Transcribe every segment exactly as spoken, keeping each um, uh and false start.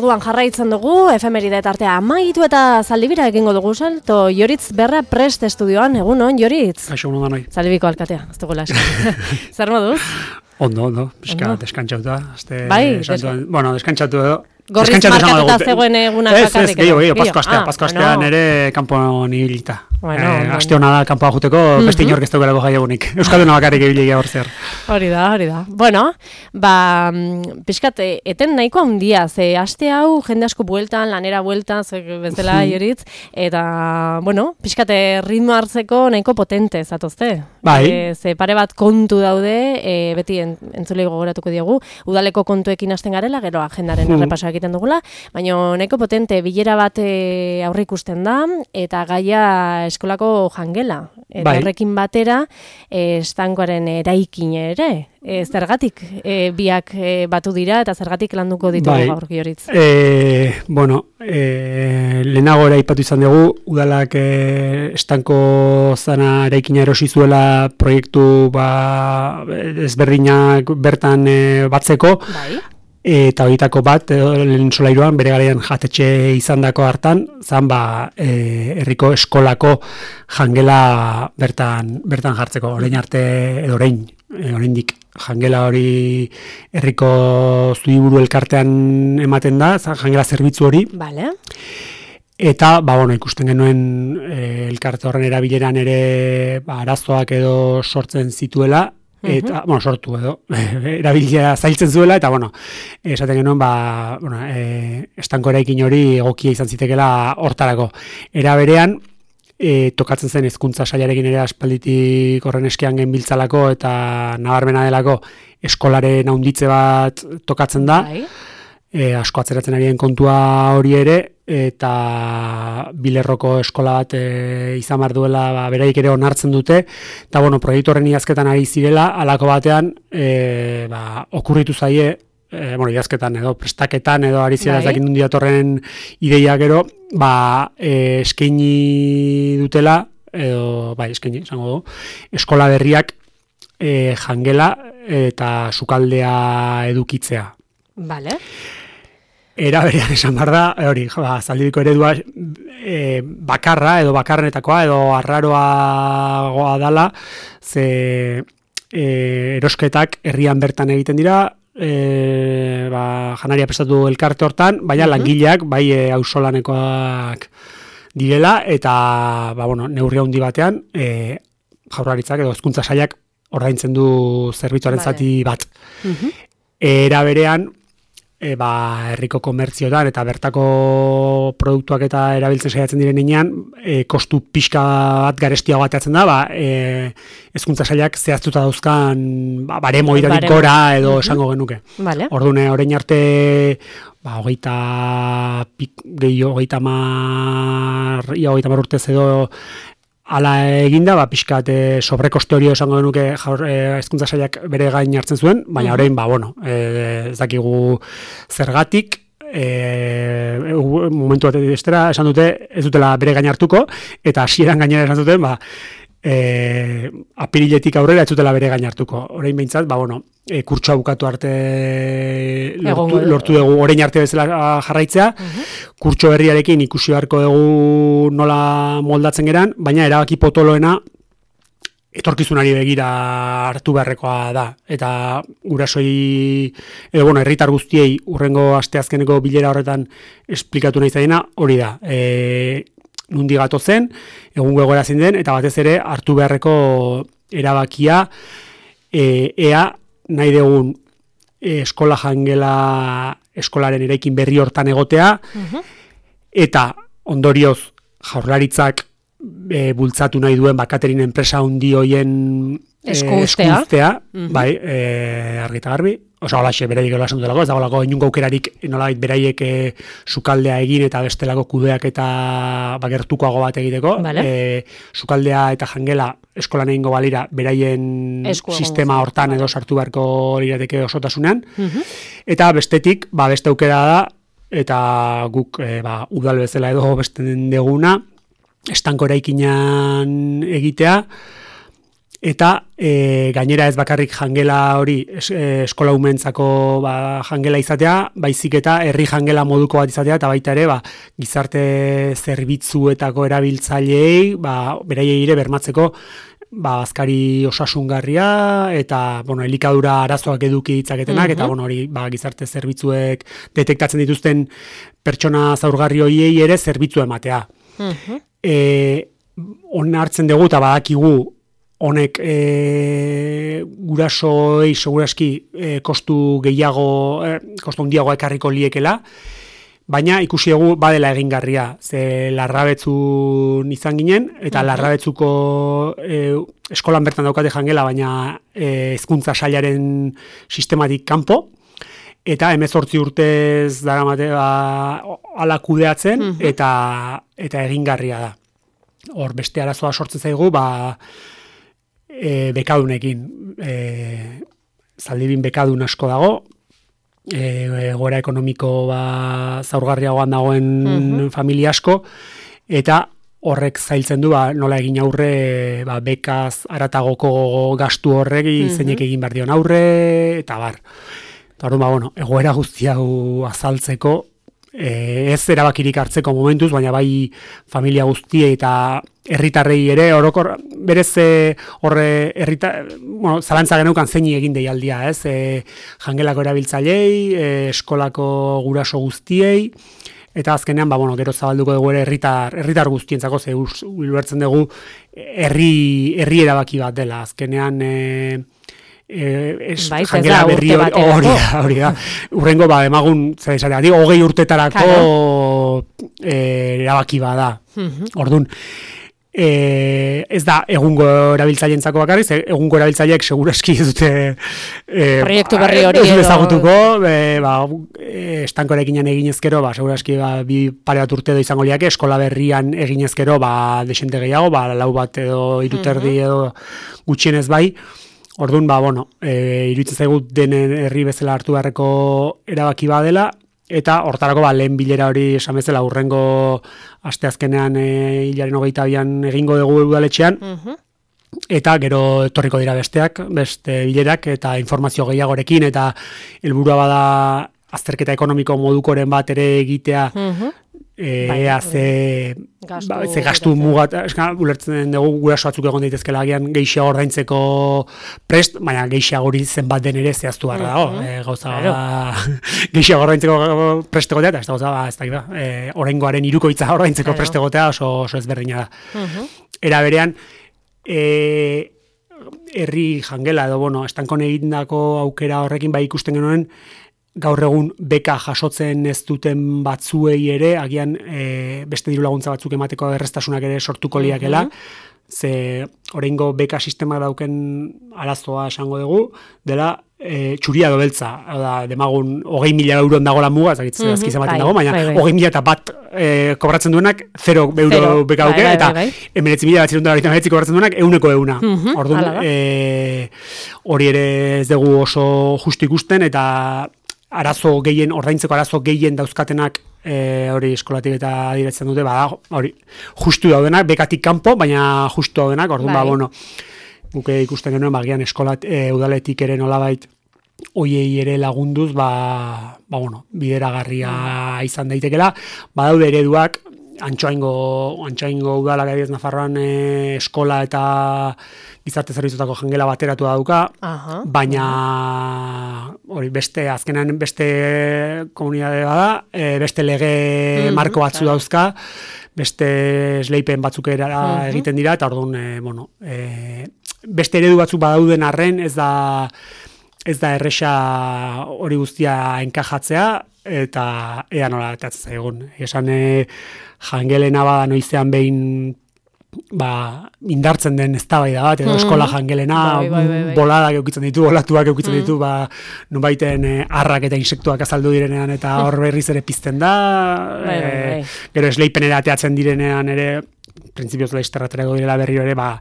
Orduan jarraitzen dugu, efemeride tartea amaitu eta zaldibira egingo dugu salto. Joritz Berra Prest estudioan, egun on, Joritz? Kaixo, ondo da noi. Zaldibiko alkatea, ez dugula esan. Zer moduz? Ondo, ondo, pixka deskantxauta. Bai, deska... bueno, deskantxatu edo. Gorriz markatuta zegoen egunak bakarrik. Ez, ez, gehiago, gehiago, pasko astea, pasko astea nere kanpo nibilita. Bueno, eh, aste hona da kanpoa juteko, uh-huh. Beste inork ez dugelako jai egunik. Euskalduna bakarrik ebilegia hor zer. Hori da, hori da. Bueno, ba, pixkat, eten nahiko handia, ze aste hau jende asko bueltan, lanera bueltan, ze bezala Joritz, eta, bueno, pixkat ritmo hartzeko nahiko potente, zatozte. Bai. E, ze pare bat kontu daude, e, beti en, entzulei gogoratuko diegu, udaleko kontuekin hasten garela, gero agendaren hmm. errepasoa egiten dugula, baina nahiko potente bilera bat e, aurre ikusten da, eta gaia eskolako jangela. Eta bai. Horrekin batera, e, estankoaren eraikin ere. E, zergatik e, biak e, batu dira eta zergatik landuko ditugu bai. Gaur Joritz? E, bueno, e, lehenago ere aipatu izan dugu, udalak e, estanko zana eraikina erosi zuela proiektu ba, ezberdinak bertan e, batzeko. Bai. Eta horietako bat, lehen solairuan, bere garaian jatetxe izandako hartan, zan ba, e, herriko eskolako jangela bertan, bertan jartzeko, orain arte, edo orain, e, oraindik jangela hori herriko Zubiburu elkartean ematen da, zan jangela zerbitzu hori. Vale. Eta, ba, bueno, ikusten genuen e, elkarte horren erabileran ere ba, arazoak edo sortzen zituela, eta, uh-huh. bueno, sortu edo, erabilia zailtzen zuela, eta, bueno, esaten genuen, ba, bueno, e, estanko eraikin hori egokia izan zitekela hortarako. Era berean, e, tokatzen zen hezkuntza sailarekin ere aspalditik horren eskean genbiltzalako, eta nabarmena delako eskolaren handitze bat tokatzen da, Bai. E, asko atzeratzen arien kontua hori ere, eta Bilerroko eskola bat e, izan behar duela ba, beraik ere onartzen dute, eta bueno, proiektu horren idazketan ari zirela, halako batean e, ba, okurritu zaie, e, bueno, idazketan edo prestaketan edo ari zirela ezakin nundi datorren ideia gero, ba, e, eskaini dutela, edo, bai, eskaini, esango du, eskola berriak e, jangela eta sukaldea edukitzea. Vale. Era berean esan behar da, hori, ba, Zaldibiko eredua e, bakarra edo bakarrenetakoa edo arraroa dala, ze e, erosketak herrian bertan egiten dira, e, ba, janaria prestatu elkarte hortan, baina uh-huh. langileak, bai e, auzolanekoak direla, eta ba, bueno, neurri handi batean, e, Jaurlaritzak edo hezkuntza sailak ordaintzen du zerbitzuaren vale. Zati bat. Uh-huh. Era berean, E, ba, herriko komertzioetan eta bertako produktuak eta erabiltzen saiatzen diren inean, e, kostu pixka bat garestiago bateatzen da, ba, e, hezkuntza sailak zehaztuta dauzkan ba, baremo iradik gora edo uh-huh. esango genuke. Vale. Orduan, orain arte, ba, hogeita, pik, gehi, hogeita mar, ia hogeita mar urtez edo, ala eginda, ba, pixkat e, sobrekoste hori esango genuke hezkuntza e, sailak bere gain hartzen zuen, baina orain, ba, bueno, e, ez dakigu zergatik, e, momentu bat estera, esan dute, ez dutela bere gain hartuko, eta hasieran gainera esan duten, ba, e, apiriletik aurrera ez dutela bere gain hartuko. Orain behintzat, ba, bueno, e, kurtsoa bukatu arte lortu, lortu dugu, orain arte bezala jarraitzea, uh-huh. kurtso berriarekin ikusi beharko dugu nola moldatzen geran, baina erabaki potoloena etorkizunari begira hartu beharrekoa da. Eta gurasoi, edo, bueno, herritar guztiei urrengo asteazkeneko bilera horretan esplikatu nahi zaina, hori da. E, nundi gatozen, egungo egoera zein den, eta batez ere hartu beharreko erabakia, e, ea nahi dugun e, eskola jangela eskolaren eraikin berri hortan egotea, uh-huh. eta ondorioz Jaurlaritzak e, bultzatu nahi duen bakaterin enpresa handi hoien e, eskustea, uh-huh. bai, e, argita garbi, oso holaxe beraiek edo lasan dutelako, ez dagoelako inungo aukerarik nolabait beraiek e, sukaldea egin eta bestelako kudeak eta bagertukoago bat egiteko. Vale. E, sukaldea eta jangela eskolan egingo balira beraien Esku sistema hortan edo sartu beharko lirateke osotasunean. Uh-huh. Eta bestetik, ba, beste aukera da, eta guk e, ba, udal bezala edo besten deguna, estanko eraikinan egitea, Eta e, gainera ez bakarrik jangela hori es, e, eskola umentzako ba, jangela izatea, baizik eta herri jangela moduko bat izatea, eta baita ere ba, gizarte zerbitzuetako erabiltzaileei ba, beraiei ere bermatzeko ba, azkari osasungarria eta bueno, elikadura arazoak eduki ditzaketenak, mm-hmm. eta bueno, hori ba, gizarte zerbitzuek detektatzen dituzten pertsona zaurgarri horiei ere zerbitzu ematea. Mm-hmm. E, on hartzen dugu eta badakigu honek e, gurasoei seguraski e, kostu gehiago, e, kostu handiago ekarriko liekela, baina ikusi dugu badela egingarria, ze larrabetzun izan ginen, eta larrabetzuko e, eskolan bertan daukate jangela, baina e, hezkuntza sailaren sistematik kanpo, eta hemezortzi urtez daramate ba, ala kudeatzen, uh-huh. eta, eta egingarria da. Hor beste arazoa sortzen zaigu, ba, E, bekadunekin, e, Zaldibin bekadun asko dago, e, gora ekonomiko ba, zaurgarriagoan dagoen mm-hmm. familia asko, eta horrek zailtzen du ba, nola egin aurre ba, bekaz aratagoko gastu horrek mm-hmm. zeinek egin behar dion aurre, eta bar. Eta ba, bueno, egoera guzti hau azaltzeko, E, ez erabakirik hartzeko momentuz, baina bai familia guztiei eta herritarrei ere orokor berez horre herrita, bueno, zalantza geneukan zeini egin deialdia, ez? E, jangelako erabiltzailei, e, eskolako guraso guztiei, eta azkenean ba bueno, gero zabalduko dugu ere herritar herritar guztientzako ze ulertzen dugu herri herri erabaki bat dela. Azkenean e, Eh, es bai, jangela berri hori hori da, hori da. Urrengo ba emagun zer esatea, digo hogei urtetarako eh erabaki bada. Uh-huh. Ordun eh ez da egungo erabiltzaileentzako bakarrik, egungo erabiltzaileek segurazki ez dute eh proiektu berri hori edo ezagutuko, eh ba estankorekin eginezkero, ba segurazki ba bi pare bat urte edo izango liake, eskola berrian eginezkero, ba desente gehiago, ba lau bat edo hiru terdi edo gutxienez bai. Orduan, ba, bueno, e, iruditzen zaigu denen herri bezala hartu beharreko erabaki badela, eta hortarako ba, lehen bilera hori esan bezala urrengo asteazkenean e, hilaren hogeita bian egingo dugu udaletxean, uh-huh. eta gero etorriko dira besteak, beste bilerak, eta informazio gehiagorekin, eta helburua bada azterketa ekonomiko modukoren bat ere egitea, uh-huh. ea ze gastu, ba, ze gastu mugat, eska, ulertzen dugu guraso batzuk egon daitezkela agian gehiago ordaintzeko prest, baina gehiago hori zenbat den ere zehaztu behar dago, uh-huh. e, gauza claro. ba, gehiago ordaintzeko prest egotea, eta ez da gauza ba, ez da, e, oraingoaren hirukoitza ordaintzeko claro. prest egotea oso, oso ezberdina da. Uh-huh. Era berean, e, herri jangela edo, bueno, estankon egindako aukera horrekin bai ikusten genuen, gaur egun beka jasotzen ez duten batzuei ere, agian e, beste diru laguntza batzuk emateko errestasunak ere sortuko liakela, mm-hmm. ze oraingo beka sistema dauken arazoa esango dugu, dela e, txuria dobeltza, da, demagun hogei mila euron dago la muga, ezakit mm-hmm. azkiz ematen dago, baina hogei mila eta bat e, kobratzen duenak, zero euro beka duke, eta emeretzi mila bat ziruntan horretan emeretzi kobratzen duenak, euneko euna. Mm-hmm. Orduan, e, hori ere ez dugu oso justu ikusten, eta arazo gehien, ordaintzeko arazo gehien dauzkatenak e, hori eskolatik eta adiretzen dute, bada, hori, justu daudenak, bekatik kanpo, baina justu daudenak, orduan, bai. ba, bueno, guke ikusten genuen, bagian eskolat, e, udaletik ere nolabait, oiei ere lagunduz, ba, ba bueno, bideragarria izan daitekela, badaude ereduak, Antxoaingo, Antxoaingo udalak adibidez Nafarroan e, eskola eta gizarte zerbitzutako jangela bateratu dauka, uh-huh. baina hori beste azkenan beste komunitate bada, e, beste lege mm-hmm. marko batzu dauzka, beste esleipen batzuk era uh-huh. egiten dira, eta orduan, e, bueno, e, beste eredu batzuk badauden arren, ez da ez da erresa hori guztia enkajatzea, eta ea nola atatzen zaigun. Esan e, jangelena bada noizean behin ba, indartzen den eztabaida bat, edo mm. eskola jangelena, bai, bai, bai, bai. boladak eukitzen ditu, olatuak eukitzen mm. ditu, ba, nonbaiten e, arrak eta insektuak azaldu direnean, eta hor berriz ere pizten da, bai, bai, bai. E, gero esleipenera ateatzen direnean ere, printzipioz laizterraterako direla berriro ere, ba,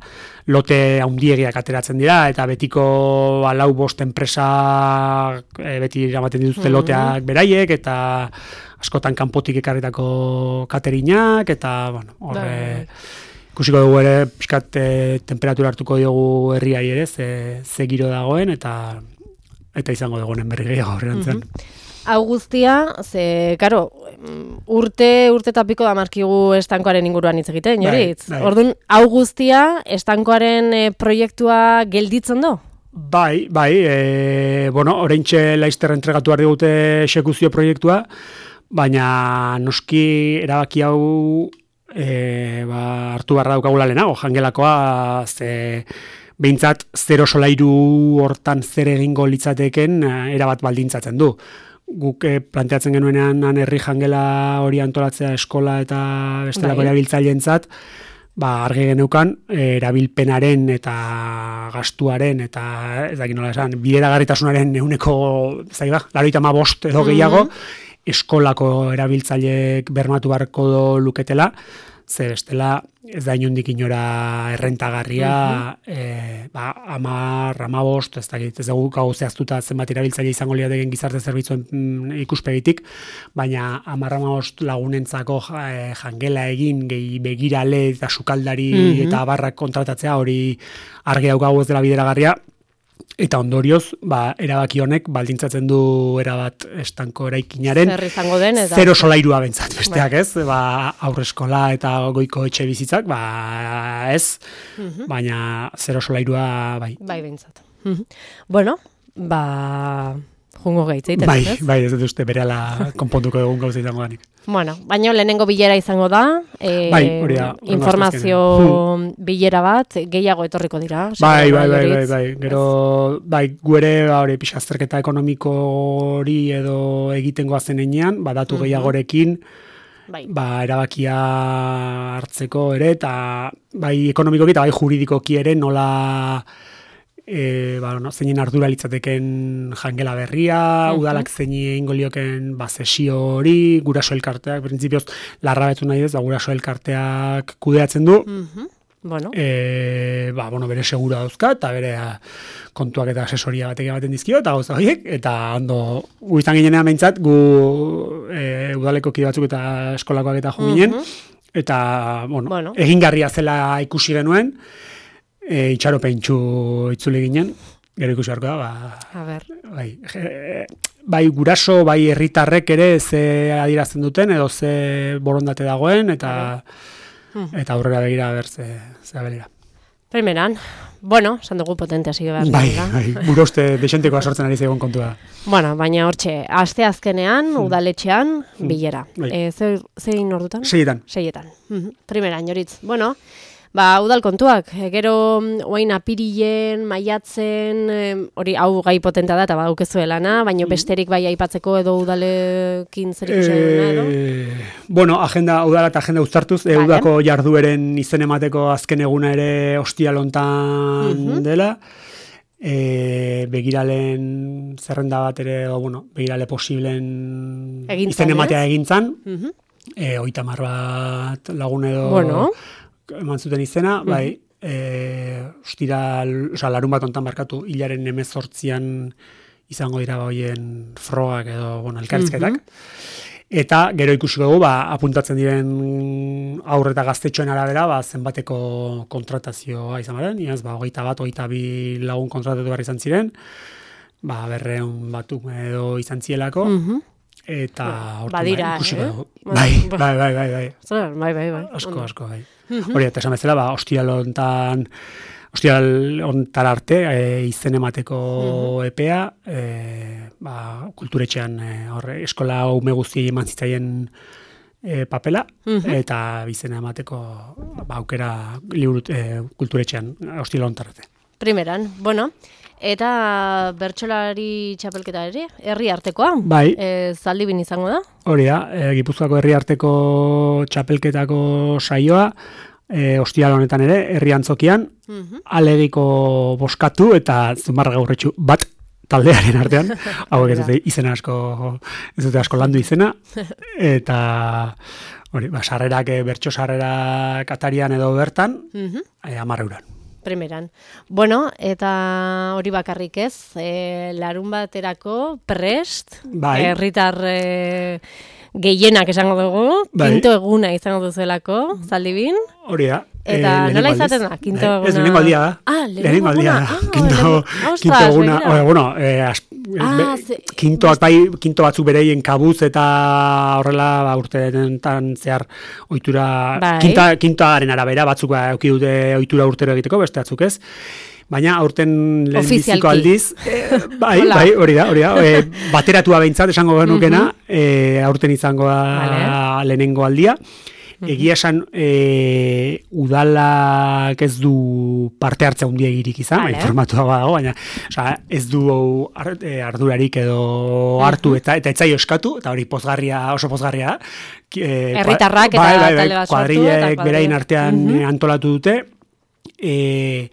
lote haundiegiak ateratzen dira, eta betiko ba, lau bost enpresa e, beti eramaten dituzte mm-hmm. loteak beraiek, eta askotan kanpotik ekarritako katerinak, eta, bueno, horre, ikusiko dugu ere, pixkat e, temperatura hartuko diogu herriai ere, ze, ze giro dagoen, eta eta izango dugunen berri gehiago horrean. Hau guztia, ze, karo, urte, urte tapiko da markigu estankoaren inguruan hitz egiten, Joritz? Bai, bai. Orduan, hau guztia, estankoaren e, proiektua gelditzen do? Bai, bai, e, bueno, oraintxe Laister entregatu behar digute exekuzio proiektua, baina noski erabaki hau e, ba, hartu barra daukagula lehenago, jangelakoa, ze behintzat zero solairu hortan zer egingo litzateken erabat baldintzatzen du. Guk eh, planteatzen genuenean herri jangela hori antolatzea eskola eta bestelako erabiltzaileentzat, ba argi geneukan erabilpenaren eta gastuaren eta ez dakit nola esan, bideragarritasunaren ehuneko zaiba, laurogeita hamabost edo gehiago eskolako erabiltzaileek bermatu beharko luketela, ze bestela ez da inondik inora errentagarria, uh-huh. e, ba, amar, amabost, ez dakit, ez dugu gau zehaztuta zenbat erabiltzaile izango liateken gizarte zerbitzuen mm, ikuspegitik, baina amar, amabost lagunentzako e, jangela egin, gehi begirale eta sukaldari uh-huh. eta abarrak kontratatzea hori argi daukagu ez dela bideragarria, eta ondorioz, ba, erabaki honek baldintzatzen du erabat estanko eraikinaren den, eta zero solairua bentsat, besteak ez, ba, aurreskola eta goiko etxe bizitzak, ba, ez, uh-huh. baina zero solairua bai. Bai bentsat. Uh-huh. Bueno, ba, jungo gaitzeiten, bai, ez? Bai, ez dut uste berehala konpontuko egun gauza izango danik. Bueno, baina lehenengo bilera izango da, e, bai, hori da, informazio hmm. bilera bat, gehiago etorriko dira. Bai, bai, bai, bai, bai, gero, bai, guere, hori, pixa, azterketa ekonomiko hori edo egiten goazen enean, ba, datu uh-huh. gehiagorekin, bai. Ba, erabakia hartzeko ere, eta bai ekonomikoki eta bai juridikoki ere nola E, ba, no, zeinen ardura litzateken jangela berria, uh-huh. udalak zeini egingo lioken ba, sesio hori, guraso elkarteak, printzipioz, larra betu nahi ez, ba, guraso elkarteak kudeatzen du, uh-huh. bueno. E, ba, bueno, bere segura dauzka, eta bere a, kontuak eta asesoria batek ematen dizkio, eta gauza horiek, eta ondo, gu izan ginean behintzat, gu e, udaleko kide batzuk eta eskolakoak eta jo ginen, uh-huh. eta, bueno, bueno, egingarria zela ikusi genuen, E, itxaropentsu itzuli ginen, gero ikusi beharko da, ba, a ber. Bai, e, bai guraso, bai herritarrek ere ze adierazten duten, edo ze borondate dagoen, eta hmm. eta aurrera begira ber ze, ze abelera. Primeran, bueno, esan dugu potente hasi behar. Bai, bai, gure uste desentekoa sortzen ari zegoen kontua. Bueno, baina hortxe, aste azkenean, hmm. udaletxean, bilera. Bai. E, ze, zein ordutan? Seietan. Seietan. Mm-hmm. Primeran, Joritz. Bueno, ba, udal kontuak, gero oain apirilen, maiatzen, hori hau gai potenta da, eta badaukezu lana, baina besterik bai aipatzeko edo udalekin zer ikusen duna edo? Bueno, agenda, udala eta agenda uztartuz, vale. Udako jardueren izen emateko azken eguna ere ostialontan uh-huh. dela, e, begiralen zerrenda bat ere, o, bueno, begirale posiblen egintzan, izen ematea egintzan, uh-huh. e, oitamar bat lagun edo... Bueno. Eman zuten izena, bai, uh-huh. e, ostira, oza, larun bat ontan barkatu, hilaren hemezortzian izango dira hoien frogak edo, bueno, elkarrizketak. Uh-huh. Eta gero ikusiko dugu, ba, apuntatzen diren aurre eta gaztetxoen arabera, ba, zenbateko kontratazioa izan baren, iaz, ba, hogeita bat, hogeita bi lagun kontratatu behar izan ziren, ba, berreun batuk edo izan zielako, uh-huh. eta hortu badira, bai, ikusiko eh? dugu. Bai, bai, bai, bai, bai. Zer, bai, bai, bai. Asko, asko, bai. Hori, eta esan bezala, ba, ostial hontan, ostial hontar arte, e, izen emateko uh-huh. epea, e, ba, kulturetxean, e, horre, eskola ume guztiei eman zitzaien e, papela, uh-huh. eta izen emateko ba, aukera liburu, e, kulturetxean, ostial hontar arte. Primeran, bueno, eta bertsolari txapelketa ere, herri artekoa, bai. E, Zaldibin izango da? Hori da, e, Gipuzkoako herri arteko txapelketako saioa, e, ostial honetan ere, herri antzokian, uh-huh. alegiko boskatu eta zumarra gaurretxu bat taldearen artean, hauek ez dute izena asko, ez dute asko landu izena, eta hori, ba, sarrerak, bertso sarrerak atarian edo bertan, uh-huh. e, amarra euran. Primeran. Bueno, eta hori bakarrik ez, e, larun baterako prest, bai. herritar e, gehienak esango dugu, Bai. kinto eguna izango duzuelako, Zaldibin. Hori da. Eta eh, nola lehenengo izaten aldiz. da, kinto Eh, eguna? Ez lehenengo aldia da. Ah, lehenengo aldia eguna. da. Ah, Kinto, lehenengo- kinto Ostras, eguna. begira. Oe, bueno, eh, as, Ah, be- ze- kintoak bai, kinto batzuk bereien kabuz eta horrela ba, urteetan zehar ohitura Bai. kinta, kintoaren arabera batzuk ba, eduki dute ohitura urtero egiteko, beste batzuk ez. Baina aurten lehenbiziko Ofizialki. aldiz, eh, bai, Hola. bai, hori da, hori da, eh, bateratua behintzat esango genukena, eh, aurten izango da Vale. lehenengo aldia. Egia esan, e, udalak ez du parte hartza handiegirik izan, Vale. informatua badago, baina osea, ez du ar, e, ardurarik edo hartu eta eta etzaio eskatu, eta hori pozgarria, oso pozgarria da. Ki- E, Herritarrak eta bai, bai, bai, talde bat sortu, kuadrillek eta kuadrilla. berain artean Mhm. eh, antolatu dute, e,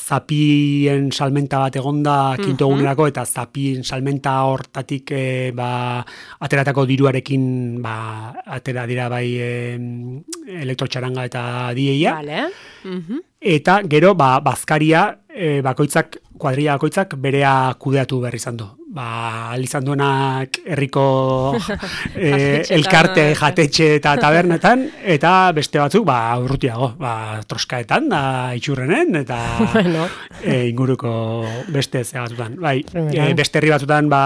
zapien salmenta bat egonda kinto egunerako, eta zapien salmenta hortatik e, ba, ateratako diruarekin ba, atera dira bai e, elektrotxaranga eta dieia. Vale. Mhm. Eta gero ba, bazkaria e, bakoitzak, kuadrilla bakoitzak berea kudeatu berri izan du. Ba, izan duenak herriko e, Jatetxeetan, elkarte, eta- jatetxe eta tabernetan, eta beste batzuk ba, urrutiago, ba, troskaetan, da itxurrenen, eta Bueno. e, inguruko beste zea batzutan. Bai, Primera. e, beste herri batzutan, ba,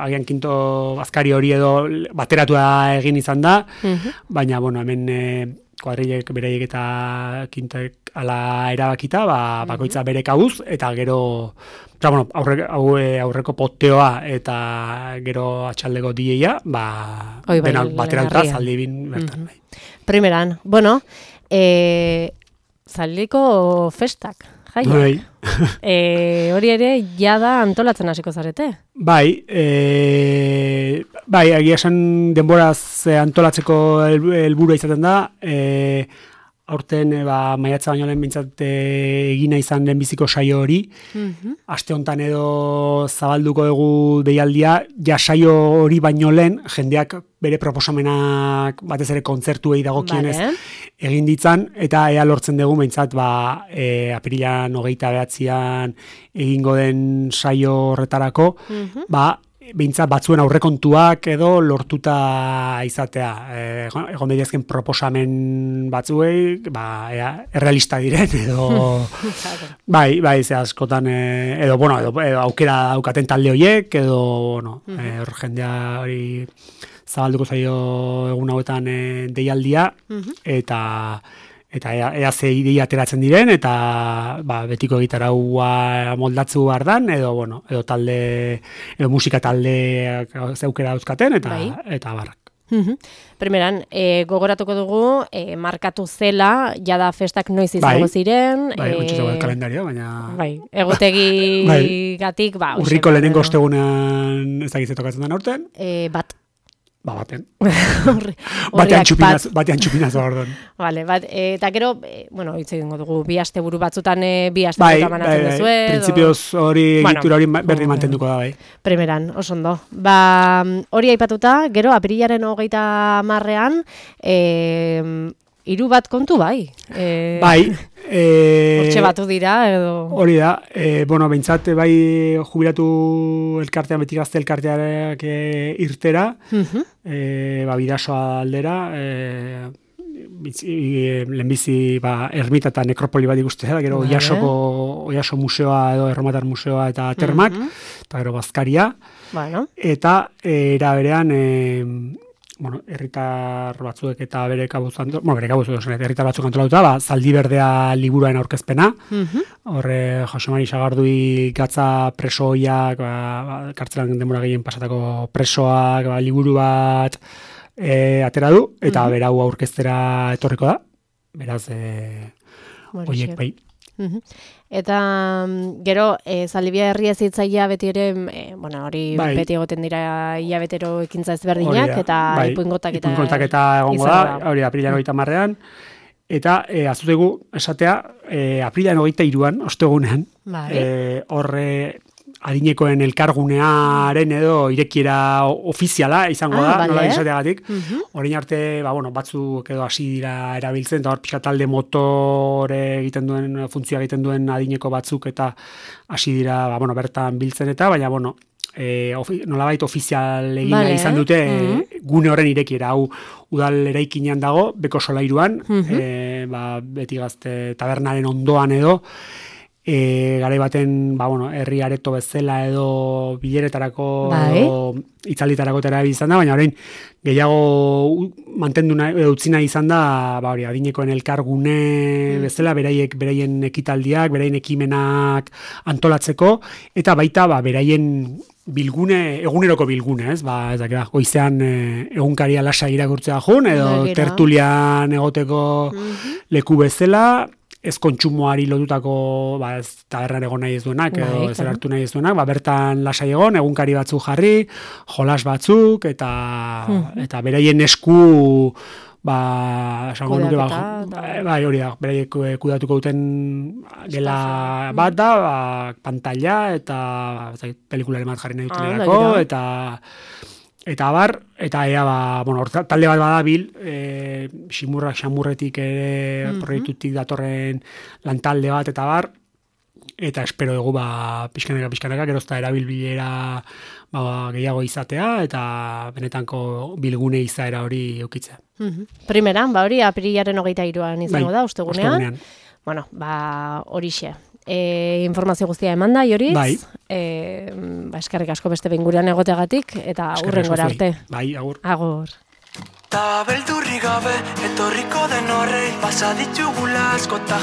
agian kinto bazkari hori edo bateratua egin izan da, Mhm. baina, bueno, hemen e, kuadrilek bereiek eta kintek ala erabakita, ba, bakoitza bere kabuz, eta gero, eta, bueno, aurre, hau, e, aurreko poteoa eta gero atxaldeko dieia, ba, Hoi bai, denak bateratuta lehengarria. Zaldibin bertan. Mhm. Bai. Primeran, bueno, eh, Zaldiko festak, jai. Bai. E, hori ere, jada antolatzen hasiko zarete. Bai, e, bai, egia esan denboraz eh, antolatzeko hel- helburua izaten da, e, aurten e, ba, maiatza baino lehen bintzat e, egina izan lehenbiziko saio hori, Mhm. aste honetan edo zabalduko dugu deialdia, ja saio hori baino lehen, jendeak bere proposamenak batez ere kontzertuei dagokienez Vale. egin ditzan, eta ea lortzen dugu behintzat ba, e, apirilan hogeita behatzian egingo den saio horretarako, Mhm. ba, behintzat batzuen aurrekontuak edo lortuta izatea. E, egon- egon daitezken proposamen batzuei, ba, ea, errealista diren, edo... Bai, bai, ze askotan, e, edo, bueno, edo, edo aukera daukaten talde horiek, edo, bueno, e, hor jendea hori zabalduko zaio egun hauetan e, deialdia, eta eta ea, ea ze ideia ateratzen diren, eta ba, betiko gitaraua moldatzu behar dan, edo, bueno, edo talde, edo musika taldeak zeukera dauzkaten, eta, Bai. eta barrak. Mhm. Primeran, e, gogoratuko dugu, e, markatu zela, jada festak noiz izango Bai. ziren. Bai, e, gutxi zegoen kalendario, baina... Bai, egutegi Bai. gatik, ba, hoxe, Urriko ba, lehenengo edo, ostegunean ez dakitze tokatzen den aurten, E, bat. ba, baten. Horri- Batean horriak txupinaz, bat. batean txupinaz ordon. Vale, bat, e, eta gero, e, bueno, hitz egingo dugu, bi asteburu batzutan e, bi Bai, asteburu bai, banatzen bai, duzue. edo- printzipioz hori Bueno, egitura hori ma- berdin mm, mantenduko da, bai. Primeran, oso ondo. Ba, hori aipatuta, gero apirilaren hogeita marrean, e, hiru bat kontu bai. E, Bai, e, Hortxe batu dira, edo... hori da, e, bueno, behintzat bai jubilatu elkartean, beti gazte elkarteak e, irtera, Mhm. e, ba, bidasoa aldera, e, bitzi, e, lehenbizi ba, ermita eta nekropoli bat ikustea, gero Vale. Oiasoko, Oiaso museoa edo Erromatar museoa eta termak, Mhm. eta gero bazkaria, Bueno, eta e, era berean, e, bueno, herritar batzuek eta bere kabuz, anto- bueno, bere kabuz, edo, herritar batzuk antolatuta, ba, Zaldi Berdea liburuaren aurkezpena, mhm. horre Jose Mari Sagardui gatza presoiak, ba, ba, kartzelan denbora gehien pasatako presoak, ba, liburu bat e, atera du, eta berau aurkeztera etorriko da, beraz, e, Horixe. oiek bai. Mhm. Eta mm, gero, e, Zaldibia herria zitzaia beti ere, e, bueno, hori Bai. beti egoten dira hilabetero ekintza Hori ezberdinak, da, eta bai, ipuingotak eta... ipuingotak eta egongo izango da, hori da, aprilaren hogeita marrean, eta e, azutegu esatea, e, aprilaren hogeita iruan, ostegunean, Bai. e, horre adinekoen elkargunearen edo irekiera o- ofiziala izango Ah, da, bale. nola izateagatik. Mhm. Orain arte, ba, bueno, batzuk edo hasi dira erabiltzen, eta hor pixka talde motore egiten duen, funtzioa egiten duen adineko batzuk, eta hasi dira, ba, bueno, bertan biltzen eta, baina, bueno, e, ofi, nolabait ofizial egin Vale. izan dute Mm-hmm. gune horren irekiera, hau udal eraikinean dago, beko solairuan, Mm-hmm. e, ba, beti gazte tabernaren ondoan edo, e, garai baten, ba, bueno, herri areto bezala edo bileretarako Bai. edo itzalditarako terabili izan da, baina orain gehiago u- mantendu nahi, edo utzi nahi izan da, ba, hori, adinekoen elkargune Mm. bezala, beraiek, beraien ekitaldiak, beraien ekimenak antolatzeko, eta baita, ba, beraien bilgune, eguneroko bilgune, ez? Ba, ez dakit, goizean e, egunkaria lasa irakurtzea jun, edo Begira. tertulian egoteko Mhm. leku bezala, ez kontsumoari lotutako, ba, ez tabernan egon nahi ez duenak, edo Bai, ez claro. hartu nahi ez duenak, ba, bertan lasai egon, egunkari batzuk jarri, jolas batzuk, eta, Mhm. eta beraien esku, ba, esango nuke, ba, Kudeaketa, eta- bai, hori da, beraiek eh, kudatuko duten gela Espazioa. bat da, ba, pantalla, eta ez dakit, pelikularen bat jarri nahi Ah, dutenerako, begira. eta eta abar, eta ea, ba, bueno, hor talde bat badabil, e, ximurrak xamurretik ere Mhm. proiektutik datorren lantalde bat, eta bar, eta espero dugu, ba, pixkanaka, pixkanaka, gerozta erabilbilera ba, gehiago izatea, eta benetanko bilgune izaera hori eukitzea. Mhm. Primeran, ba hori, apirilaren hogeita hiruan izango Bai, da, ostegunean. ostegunean. Bueno, ba horixe. E, informazio guztia eman da, Joriz. Bai. E, ba, eskerrik asko beste behin gurean egoteagatik, eta Eskerrik hurrengora asko zuei. arte. Bai, agur. Agur. Ta beldurri gabe, etorriko den horrei, pasa ditugula askota